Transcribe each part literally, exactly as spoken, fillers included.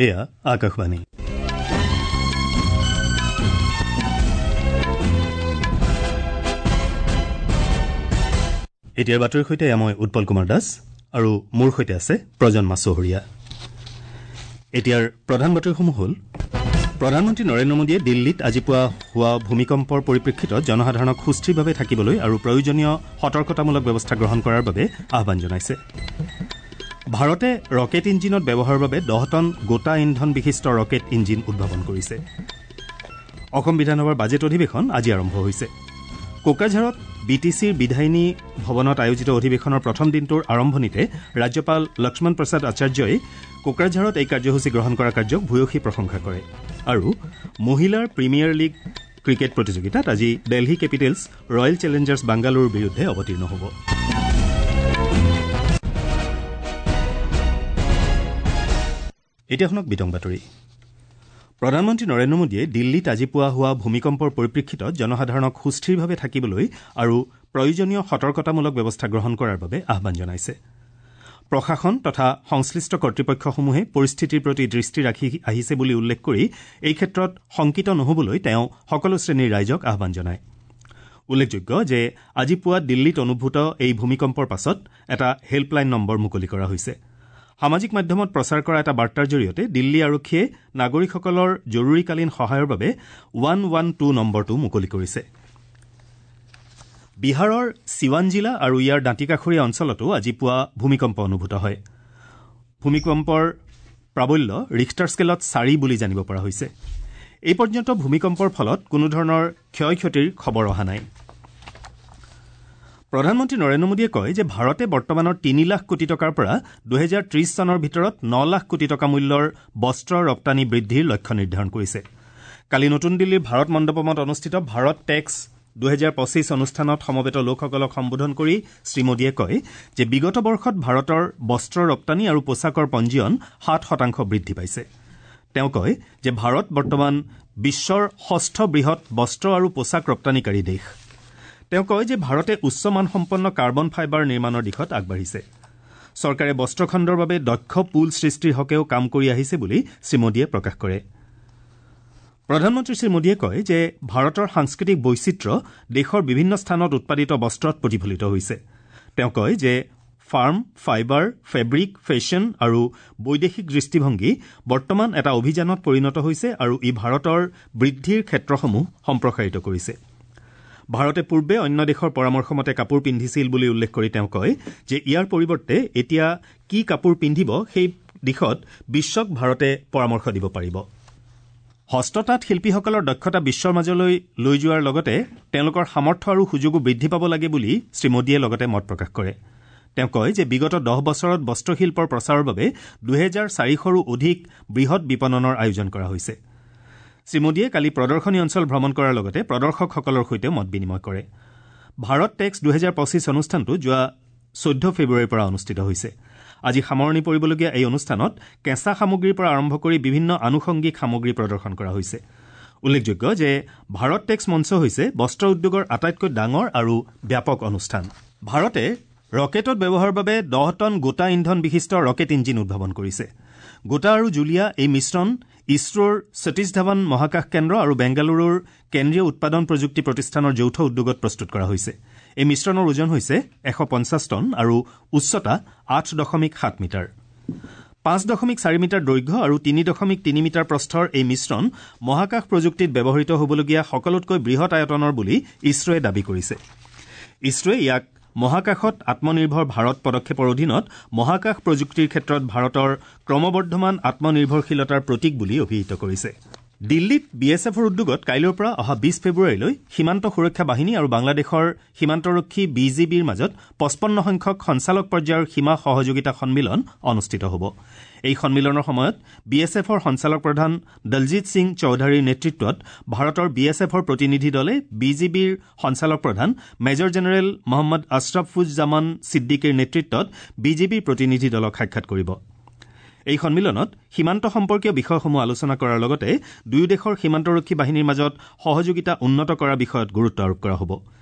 এয়া আকাশবাণী। এতিয়াৰ বাতৰিৰ সৈতে মই উৎপল কুমাৰ দাস আৰু মোৰ সৈতে আছে প্ৰজন্মা চহৰীয়া। এতিয়াৰ প্ৰধান বাতৰিসমূহ হ'ল: প্ৰধানমন্ত্ৰী নৰেন্দ্ৰ মোদীয়ে দিল্লীত আজি পুৱা হোৱা ভূমিকম্পৰ পৰিপ্ৰেক্ষিতত জনসাধাৰণক সুস্থিৰভাৱে থাকিবলৈ আৰু প্ৰয়োজনীয় সতৰ্কতামূলক ব্যৱস্থা গ্ৰহণ কৰাৰ বাবে আহ্বান জনাইছে। ভাৰতে ৰকেট ইঞ্জিনত ব্যৱহাৰৰ বাবে দহ টন গোটা ইন্ধন বিশিষ্ট ৰকেট ইঞ্জিন উদ্ভাৱন কৰিছে। অসম বিধানসভাৰ বাজেট অধিৱেশন আজি আৰম্ভ হৈছে। কোকৰাঝাৰত বি টি চিৰ বিধায়িনী ভৱনত আয়োজিত অধিৱেশনৰ প্ৰথম দিনটোৰ আৰম্ভণিতে ৰাজ্যপাল লক্ষ্মণ প্ৰসাদ আচাৰ্যই কোকৰাঝাৰত এই কাৰ্যসূচী গ্ৰহণ কৰা কাৰ্যক ভূয়সী প্ৰশংসা কৰে। আৰু মহিলাৰ প্ৰিমিয়াৰ লীগ ক্ৰিকেট প্ৰতিযোগিতাত আজি দেলহী কেপিটেলছ ৰয়েল চেলেঞ্জাৰ্ছ বাংগালুৰুৰ বিৰুদ্ধে অৱতীৰ্ণ হ'ব। এতিয়া শুনক বিতং বাতৰি। প্ৰধানমন্ত্ৰী নৰেন্দ্ৰ মোদীয়ে দিল্লীত আজি পুৱা হোৱা ভূমিকম্পৰ পৰিপ্ৰেক্ষিতত জনসাধাৰণক সুস্থিৰভাৱে থাকিবলৈ আৰু প্ৰয়োজনীয় সতৰ্কতামূলক ব্যৱস্থা গ্ৰহণ কৰাৰ বাবে আহ্বান জনাইছে। প্ৰশাসন তথা সংশ্লিষ্ট কৰ্তৃপক্ষসমূহে পৰিস্থিতিৰ প্ৰতি দৃষ্টি ৰাখি আহিছে বুলি উল্লেখ কৰি এই ক্ষেত্ৰত শংকিত নহ'বলৈ তেওঁ সকলো শ্ৰেণীৰ ৰাইজক আহ্বান জনায়। উল্লেখযোগ্য যে আজি পুৱা দিল্লীত অনুভূত এই ভূমিকম্পৰ পাছত এটা হেল্পলাইন নম্বৰ মুকলি কৰা হৈছে। সামাজিক মাধ্যমত প্ৰচাৰ কৰা এটা বাৰ্তাৰ জৰিয়তে দিল্লী আৰক্ষীয়ে নাগৰিকসকলৰ জৰুৰীকালীন সহায়ৰ বাবে ওৱান ওৱান টু নম্বৰটো মুকলি কৰিছে। বিহাৰৰ চিৱান জিলা আৰু ইয়াৰ দাঁতিকাষৰীয়া অঞ্চলতো আজি পুৱা ভূমিকম্প অনুভূত হয়। ভূমিকম্পৰ প্ৰাবল্য ৰিখটাৰ স্কেলত চাৰি বুলি জানিব পৰা হৈছে। এই পৰ্যন্ত ভূমিকম্পৰ ফলত কোনোধৰণৰ ক্ষয় ক্ষতিৰ খবৰ অহা নাই। প্ৰধানমন্ত্ৰী নৰেন্দ্ৰ মোদীয়ে কয় যে ভাৰতে বৰ্তমানৰ তিনি লাখ কোটি টকাৰ পৰা দুহেজাৰ ত্ৰিশ চনৰ ভিতৰত ন লাখ কোটি টকা মূল্যৰ বস্ত্ৰ ৰপ্তানি বৃদ্ধিৰ লক্ষ্য নিৰ্ধাৰণ কৰিছে। কালি নতুন দিল্লীৰ ভাৰত মণ্ডপমত অনুষ্ঠিত ভাৰত টেক্স দুহেজাৰ পঁচিছ অনুষ্ঠানত সমবেত লোকসকলক সম্বোধন কৰি শ্ৰীমোদীয়ে কয় যে বিগত বৰ্ষত ভাৰতৰ বস্ত্ৰ ৰপ্তানি আৰু পোছাকৰ পঞ্জীয়ন সাত শতাংশ বৃদ্ধি পাইছে। তেওঁ কয় যে ভাৰত বৰ্তমান বিশ্বৰ ষষ্ঠ বৃহৎ বস্ত্ৰ আৰু পোছাক ৰপ্তানিকাৰী দেশ। তেওঁ কয় যে ভাৰতে উচ্চ মানসম্পন্ন কাৰ্বন ফাইবাৰ নিৰ্মাণৰ দিশত আগবাঢ়িছে। চৰকাৰে বস্ত্ৰখণ্ডৰ বাবে দক্ষ পুল সৃষ্টিৰ হকেও কাম কৰি আহিছে বুলি শ্ৰীমোদীয়ে প্ৰকাশ কৰে। প্ৰধানমন্ত্ৰী শ্ৰীমোদীয়ে কয় যে ভাৰতৰ সাংস্কৃতিক বৈচিত্ৰ্য দেশৰ বিভিন্ন স্থানত উৎপাদিত বস্ত্ৰত প্ৰতিফলিত হৈছে। তেওঁ কয় যে ফাৰ্ম, ফাইবাৰ, ফেব্ৰিক, ফেশ্বন আৰু বৈদেশিক দৃষ্টিভংগী বৰ্তমান এটা অভিযানত পৰিণত হৈছে আৰু ই ভাৰতৰ বৃদ্ধিৰ ক্ষেত্ৰসমূহ সম্প্ৰসাৰিত কৰিছে। ভাৰতে পূৰ্বে অন্য দেশৰ পৰামৰ্শ মতে কাপোৰ পিন্ধিছিল বুলি উল্লেখ কৰি তেওঁ কয় যে ইয়াৰ পৰিৱৰ্তে এতিয়া কি কাপোৰ পিন্ধিব সেই দিশত বিশ্বক ভাৰতে পৰামৰ্শ দিব পাৰিব। হস্ততাঁত শিল্পীসকলৰ দক্ষতা বিশ্বৰ মাজলৈ লৈ যোৱাৰ লগতে তেওঁলোকৰ সামৰ্থ্য আৰু সুযোগো বৃদ্ধি পাব লাগে বুলি শ্ৰীমোদীয়ে লগতে মত প্ৰকাশ কৰে। তেওঁ কয় যে বিগত দহ বছৰত বস্ত্ৰশিল্পৰ প্ৰচাৰৰ বাবে দুহেজাৰ চাৰিশৰো অধিক বৃহৎ বিপণনৰ আয়োজন কৰা হৈছে। শ্ৰীমোদীয়ে কালি প্ৰদৰ্শনী অঞ্চল ভ্ৰমণ কৰাৰ লগতে প্ৰদৰ্শকসকলৰ সৈতেও মত বিনিময় কৰে। ভাৰত টেক্স দুহেজাৰ পঁচিছ অনুষ্ঠানটো যোৱা চৈধ্য ফেব্ৰুৱাৰীৰ পৰা অনুষ্ঠিত হৈছে। আজি সামৰণি পৰিবলগীয়া এই অনুষ্ঠানত কেঁচা সামগ্ৰীৰ পৰা আৰম্ভ কৰি বিভিন্ন আনুষংগিক সামগ্ৰী প্ৰদৰ্শন কৰা হৈছে। উল্লেখযোগ্য যে ভাৰত টেক্স মঞ্চ হৈছে বস্ত্ৰ উদ্যোগৰ আটাইতকৈ ডাঙৰ আৰু ব্যাপক অনুষ্ঠান। ভাৰতে ৰকেটত ব্যৱহাৰৰ বাবে দহ টন গোটা ইন্ধন বিশিষ্ট ৰকেট ইঞ্জিন উদ্ভাৱন কৰিছে। গোটা আৰু জুলীয়া এই মিশ্ৰণ ইছৰোৰ সতীশ ধাৱান মহাকাশ কেন্দ্ৰ আৰু বেংগালুৰুৰ কেন্দ্ৰীয় উৎপাদন প্ৰযুক্তি প্ৰতিষ্ঠানৰ যৌথ উদ্যোগত প্ৰস্তুত কৰা হৈছে। এই মিশ্ৰণৰ ওজন হৈছে এশ পঞ্চাছ টন আৰু উচ্চতা আঠ দশমিক সাত মিটাৰ। পাঁচ দশমিক চাৰি মিটাৰ দৈৰ্ঘ্য আৰু তিনি দশমিক তিনি মিটাৰ প্ৰস্থৰ এই মিশ্ৰণ মহাকাশ প্ৰযুক্তিত ব্যৱহৃত হ'বলগীয়া সকলোতকৈ বৃহৎ আয়তনৰ বুলি ইছৰোৱে দাবী কৰিছে। ইছৰোৱে ইয়াক মহাকাশত আত্মনিৰ্ভৰ ভাৰত পদক্ষেপৰ অধীনত মহাকাশ প্ৰযুক্তিৰ ক্ষেত্ৰত ভাৰতৰ ক্ৰমবৰ্ধমান আত্মনিৰ্ভৰশীলতাৰ প্ৰতীক বুলি অভিহিত কৰিছে। দিল্লীত বি এছ এফৰ উদ্যোগত কাইলৈৰ পৰা অহা বিছ ফেব্ৰুৱাৰীলৈ সীমান্ত সুৰক্ষা বাহিনী আৰু বাংলাদেশৰ সীমান্তৰক্ষী বি জি বিৰ মাজত পঁচপন্ন সংখ্যক সঞ্চালক পৰ্যায়ৰ সীমা সহযোগিতা সন্মিলন অনুষ্ঠিত হ'ব। এই সন্মিলনৰ সময়ত বি এছ এফৰ সঞ্চালক প্ৰধান দলজিৎ সিং চৌধাৰীৰ নেতৃত্বত ভাৰতৰ বি এছ এফৰ প্ৰতিনিধি দলে বি জি বিৰ সঞ্চালক প্ৰধান মেজৰ জেনেৰেল মহম্মদ আশ্ৰাফুজ্জামান ছিদ্দিকীৰ নেতৃত্বত বি জি বিৰ প্ৰতিনিধি দলক সাক্ষাৎ কৰিব। এই সন্মিলনত সীমান্ত সম্পৰ্কীয় বিষয়সমূহ আলোচনা কৰাৰ লগতে দুয়ো দেশৰ সীমান্তৰক্ষী বাহিনীৰ মাজত সহযোগিতা উন্নত কৰাৰ বিষয়ত গুৰুত্ব আৰোপ কৰা হ'ব।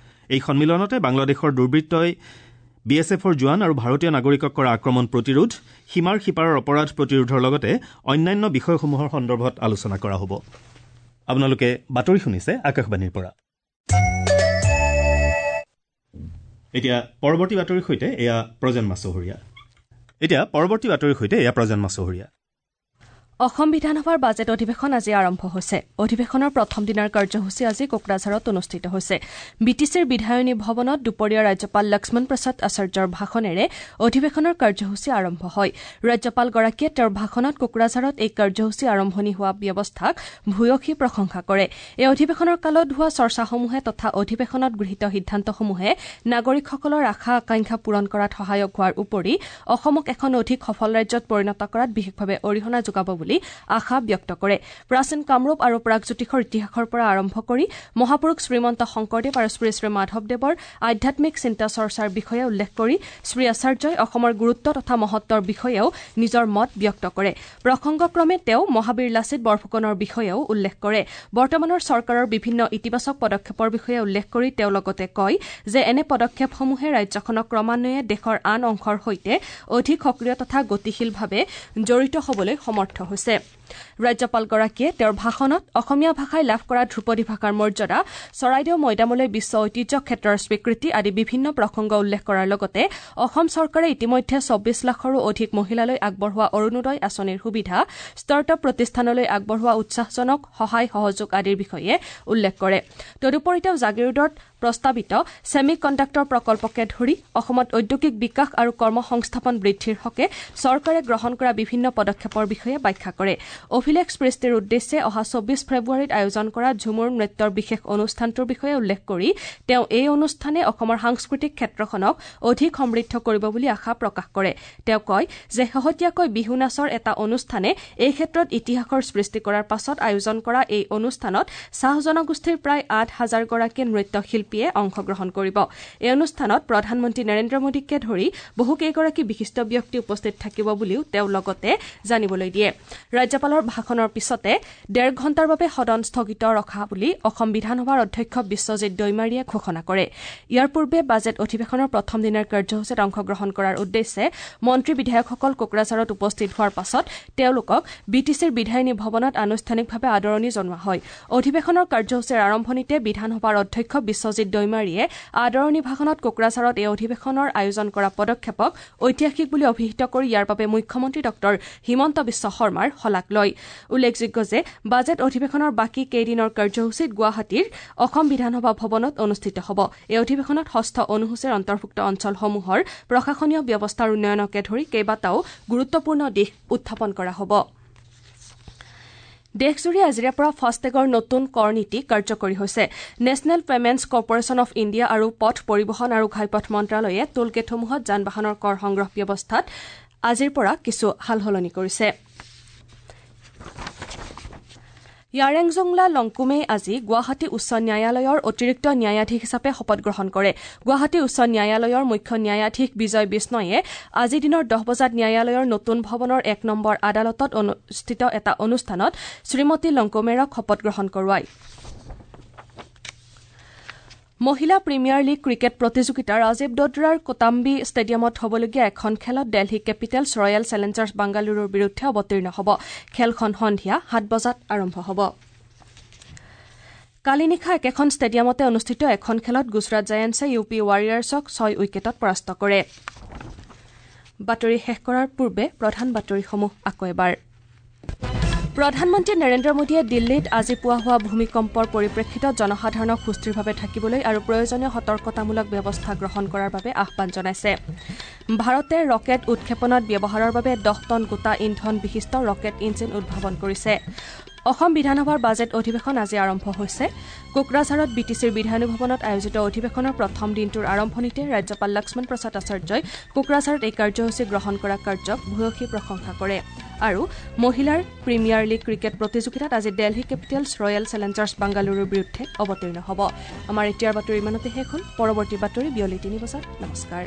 এই সন্মিলনতে বাংলাদেশৰ দুৰ্বৃত্তই বি এছ এফৰ জোৱান আৰু ভাৰতীয় নাগৰিকক কৰা আক্ৰমণ প্ৰতিৰোধ, সীমাৰ সিপাৰৰ অপৰাধ প্ৰতিৰোধৰ লগতে অন্যান্য বিষয়সমূহৰ সন্দৰ্ভত আলোচনা কৰা হ'ব। আপোনালোকে বাতৰি শুনিছে আকাশবাণীৰ পৰা। এতিয়া পৰৱৰ্তী বাতৰিৰ সৈতে এয়া প্ৰজন্ম চহৰীয়া। এতিয়া পৰৱৰ্তী বাতৰিৰ সৈতে এয়া প্ৰজন্ম চহৰীয়া। অসম বিধানসভাৰ বাজেট অধিৱেশন আজি আৰম্ভ হৈছে। অধিৱেশনৰ প্ৰথম দিনাৰ কাৰ্যসূচী আজি কোকৰাঝাৰত অনুষ্ঠিত হৈছে। বি টি চিৰ বিধায়িনী ভৱনত দুপৰীয়া ৰাজ্যপাল লক্ষ্মণ প্ৰসাদ আচাৰ্যৰ ভাষণেৰে অধিৱেশনৰ কাৰ্যসূচী আৰম্ভ হয়। ৰাজ্যপালগৰাকীয়ে তেওঁৰ ভাষণত কোকৰাঝাৰত এই কাৰ্যসূচী আৰম্ভণি হোৱা ব্যৱস্থাক ভূয়সী প্ৰশংসা কৰে। এই অধিৱেশনৰ কালত হোৱা চৰ্চাসমূহে তথা অধিৱেশনত গৃহীত সিদ্ধান্তসমূহে নাগৰিকসকলৰ আশা আকাংক্ষা পূৰণ কৰাত সহায়ক হোৱাৰ উপৰি অসমক এখন অধিক সফল ৰাজ্যত পৰিণত কৰাত বিশেষভাৱে অৰিহণা যোগাব বুলি আশা ব্যক্ত কৰে। প্ৰাচীন কামৰূপ আৰু প্ৰাগজ্যোতিষৰ ইতিহাসৰ পৰা আৰম্ভ কৰি মহাপুৰুষ শ্ৰীমন্ত শংকৰদেৱ আৰু শ্ৰী শ্ৰী মাধৱদেৱৰ আধ্যাত্মিক চিন্তা চৰ্চাৰ বিষয়ে উল্লেখ কৰি শ্ৰী আচাৰ্যই অসমৰ গুৰুত্ব তথা মহত্বৰ বিষয়েও নিজৰ মত ব্যক্ত কৰে। প্ৰসংগক্ৰমে তেওঁ মহাবীৰ লাচিত বৰফুকনৰ বিষয়েও উল্লেখ কৰে। বৰ্তমানৰ চৰকাৰৰ বিভিন্ন ইতিবাচক পদক্ষেপৰ বিষয়ে উল্লেখ কৰি তেওঁ লগতে কয় যে এনে পদক্ষেপসমূহে ৰাজ্যখনক ক্ৰমান্বয়ে দেশৰ আন অংশৰ সৈতে অধিক সক্ৰিয় তথা গতিশীলভাৱে জড়িত হ'বলৈ সমৰ্থ হৈছে। ৰাজ্যপালগৰাকীয়ে তেওঁৰ ভাষণত অসমীয়া ভাষাই লাভ কৰা ধ্ৰুপদী ভাষাৰ মৰ্যাদা, চৰাইদেউ মৈদামলৈ বিশ্ব ঐতিহ্য ক্ষেত্ৰৰ স্বীকৃতি আদি বিভিন্ন প্ৰসংগ উল্লেখ কৰাৰ লগতে অসম চৰকাৰে ইতিমধ্যে চৌব্বিছ লাখৰো অধিক মহিলালৈ আগবঢ়োৱা অৰুণোদয় আঁচনিৰ সুবিধা, ষ্টাৰ্টআপ প্ৰতিষ্ঠানলৈ আগবঢ়োৱা উৎসাহজনক সহায় সহযোগ আদিৰ বিষয়ে উল্লেখ কৰে। তদুপৰি তেওঁ জাগীৰোডত প্ৰস্তাৱিত ছেমি কণ্ডাক্টৰ প্ৰকল্পকে ধৰি অসমত ঔদ্যোগিক বিকাশ আৰু কৰ্মসংস্থাপন বৃদ্ধিৰ হকে চৰকাৰে গ্ৰহণ কৰা বিভিন্ন পদক্ষেপৰ বিষয়ে ব্যাখ্যা কৰে। অভিলেখ সৃষ্টিৰ উদ্দেশ্যে অহা চৌব্বিছ ফেব্ৰুৱাৰীত আয়োজন কৰা ঝুমুৰ নৃত্যৰ বিশেষ অনুষ্ঠানটোৰ বিষয়ে উল্লেখ কৰি তেওঁ এই অনুষ্ঠানে অসমৰ সাংস্কৃতিক ক্ষেত্ৰখনক অধিক সমৃদ্ধ কৰিব বুলি আশা প্ৰকাশ কৰে। তেওঁ কয় যে শেহতীয়াকৈ বিহু নাচৰ এটা অনুষ্ঠানে এই ক্ষেত্ৰত ইতিহাসৰ সৃষ্টি কৰাৰ পাছত আয়োজন কৰা এই অনুষ্ঠানত চাহ জনগোষ্ঠীৰ প্ৰায় আঠ হাজাৰগৰাকী নৃত্যশিল্পীয়ে অংশগ্ৰহণ কৰিব। এই অনুষ্ঠানত প্ৰধানমন্ত্ৰী নৰেন্দ্ৰ মোদীকে ধৰি বহুকেইগৰাকী বিশিষ্ট ব্যক্তি উপস্থিত থাকিব বুলিও তেওঁ লগতে জানিবলৈ দিয়ে। ৰাজ্যপালৰ ভাষণৰ পিছতে ডেৰ ঘণ্টাৰ বাবে সদন স্থগিত ৰখা বুলি অসম বিধানসভাৰ অধ্যক্ষ বিশ্বজিৎ দৈমাৰীয়ে ঘোষণা কৰে। ইয়াৰ পূৰ্বে বাজেট অধিৱেশনৰ প্ৰথম দিনাৰ কাৰ্যসূচীত অংশগ্ৰহণ কৰাৰ উদ্দেশ্যে মন্ত্ৰী বিধায়কসকল কোকৰাঝাৰত উপস্থিত হোৱাৰ পাছত তেওঁলোকক বি টি চিৰ বিধায়িনী ভৱনত আনুষ্ঠানিকভাৱে আদৰণি জনোৱা হয়। অধিৱেশনৰ কাৰ্যসূচীৰ আৰম্ভণিতে বিধানসভাৰ অধ্যক্ষ বিশ্বজিৎ দৈমাৰীয়ে আদৰণি ভাষণত কোকৰাঝাৰত এই অধিৱেশনৰ আয়োজন কৰা পদক্ষেপক ঐতিহাসিক বুলি অভিহিত কৰি ইয়াৰ বাবে মুখ্যমন্ত্ৰী ডঃ হিমন্ত বিশ্ব শৰ্মাৰ শলাগ লয়। উল্লেখযোগ্য যে বাজেট অধিৱেশনৰ বাকী কেইদিনৰ কাৰ্যসূচীত গুৱাহাটীৰ অসম বিধানসভা ভৱনত অনুষ্ঠিত হ'ব। এই অধিৱেশনত ষষ্ঠ অনুসূচীৰ অন্তৰ্ভুক্ত অঞ্চলসমূহৰ প্ৰশাসনীয় ব্যৱস্থাৰ উন্নয়নকে ধৰি কেইবাটাও গুৰুত্বপূৰ্ণ দিশ উত্থাপন কৰা হ'ব। দেশজুৰি আজিৰে পৰা ফাষ্টেগৰ নতুন কৰ নীতি কাৰ্যকৰী হৈছে। National Payments Corporation of India আৰু পথ পৰিবহণ আৰু ঘাইপথ মন্ত্ৰালয়ে টোলগেটসমূহত যান বাহনৰ কৰ সংগ্ৰহ ব্যৱস্থাত আজিৰ পৰা কিছু সালসলনি কৰিছে। য়াৰেংজংলা লংকুমে আজি গুৱাহাটী উচ্চ ন্যায়ালয়ৰ অতিৰিক্ত ন্যায়াধীশ হিচাপে শপত গ্ৰহণ কৰে। গুৱাহাটী উচ্চ ন্যায়ালয়ৰ মুখ্য ন্যায়াধীশ বিজয় বিষ্ণয়ে আজি দিনৰ দহ বজাত ন্যায়ালয়ৰ নতুন ভৱনৰ এক নম্বৰ আদালতত অনুষ্ঠিত এটা অনুষ্ঠানত শ্ৰীমতী লংকুমেৰক শপত গ্ৰহণ কৰোৱায়। মহিলা প্ৰিমিয়াৰ লীগ ক্ৰিকেট প্ৰতিযোগিতা ৰাজীৱ দোদ্ৰাৰ কোটাম্বি ষ্টেডিয়ামত হ'বলগীয়া এখন খেলত দেলহি কেপিটেলছ ৰয়েল চেলেঞ্জাৰ্ছ বাংগালুৰুৰ বিৰুদ্ধে অৱতীৰ্ণ হ'ব। খেলখন সন্ধিয়া সাত বজাত আৰম্ভ হ'ব। কালি নিশা একেখন ষ্টেডিয়ামতে অনুষ্ঠিত এখন খেলত গুজৰাট জায়েণ্টছে ইউ পি ৱাৰিয়াৰ্ছক ছয় উইকেটত পৰাস্ত কৰে। বাতৰি শেষ কৰাৰ পূৰ্বে প্ৰধান বাতৰিসমূহ আকৌ এবাৰ। প্ৰধানমন্ত্ৰী নৰেন্দ্ৰ মোদীয়ে দিল্লীত আজি পুৱা হোৱা ভূমিকম্পৰ পৰিপ্ৰেক্ষিতত জনসাধাৰণক সুস্থিৰভাৱে থাকিবলৈ আৰু প্ৰয়োজনীয় সতৰ্কতামূলক ব্যৱস্থা গ্ৰহণ কৰাৰ বাবে আহ্বান জনাইছে। ভাৰতে ৰকেট উৎক্ষেপণত ব্যৱহাৰৰ বাবে দহ টন গোটা ইন্ধন বিশিষ্ট ৰকেট ইঞ্জিন উদ্ভাৱন কৰিছে। অসম বিধানসভাৰ বাজেট অধিৱেশন আজি আৰম্ভ হৈছে। কোকৰাঝাৰত বি টি চিৰ বিধায়িনী ভৱনত আয়োজিত অধিৱেশনৰ প্ৰথম দিনটোৰ আৰম্ভণিতে ৰাজ্যপাল লক্ষ্মণ প্ৰসাদ আচাৰ্যই কোকৰাঝাৰত এই কাৰ্যসূচী গ্ৰহণ কৰা কাৰ্যক ভূয়সী প্ৰশংসা কৰে। আৰু মহিলাৰ প্ৰিমিয়াৰ লীগ ক্ৰিকেট প্ৰতিযোগিতাত আজি দেলহি কেপিটেলছ ৰয়েল চেলেঞ্জাৰ্ছ বাংগালুৰুৰ বিৰুদ্ধে অৱতীৰ্ণ হ'ব। আমাৰ এতিয়াৰ বাতৰি ইমানতে শেষ হ'ল। পৰৱৰ্তী বাতৰি বিয়লি তিনি বজাত। নমস্কাৰ।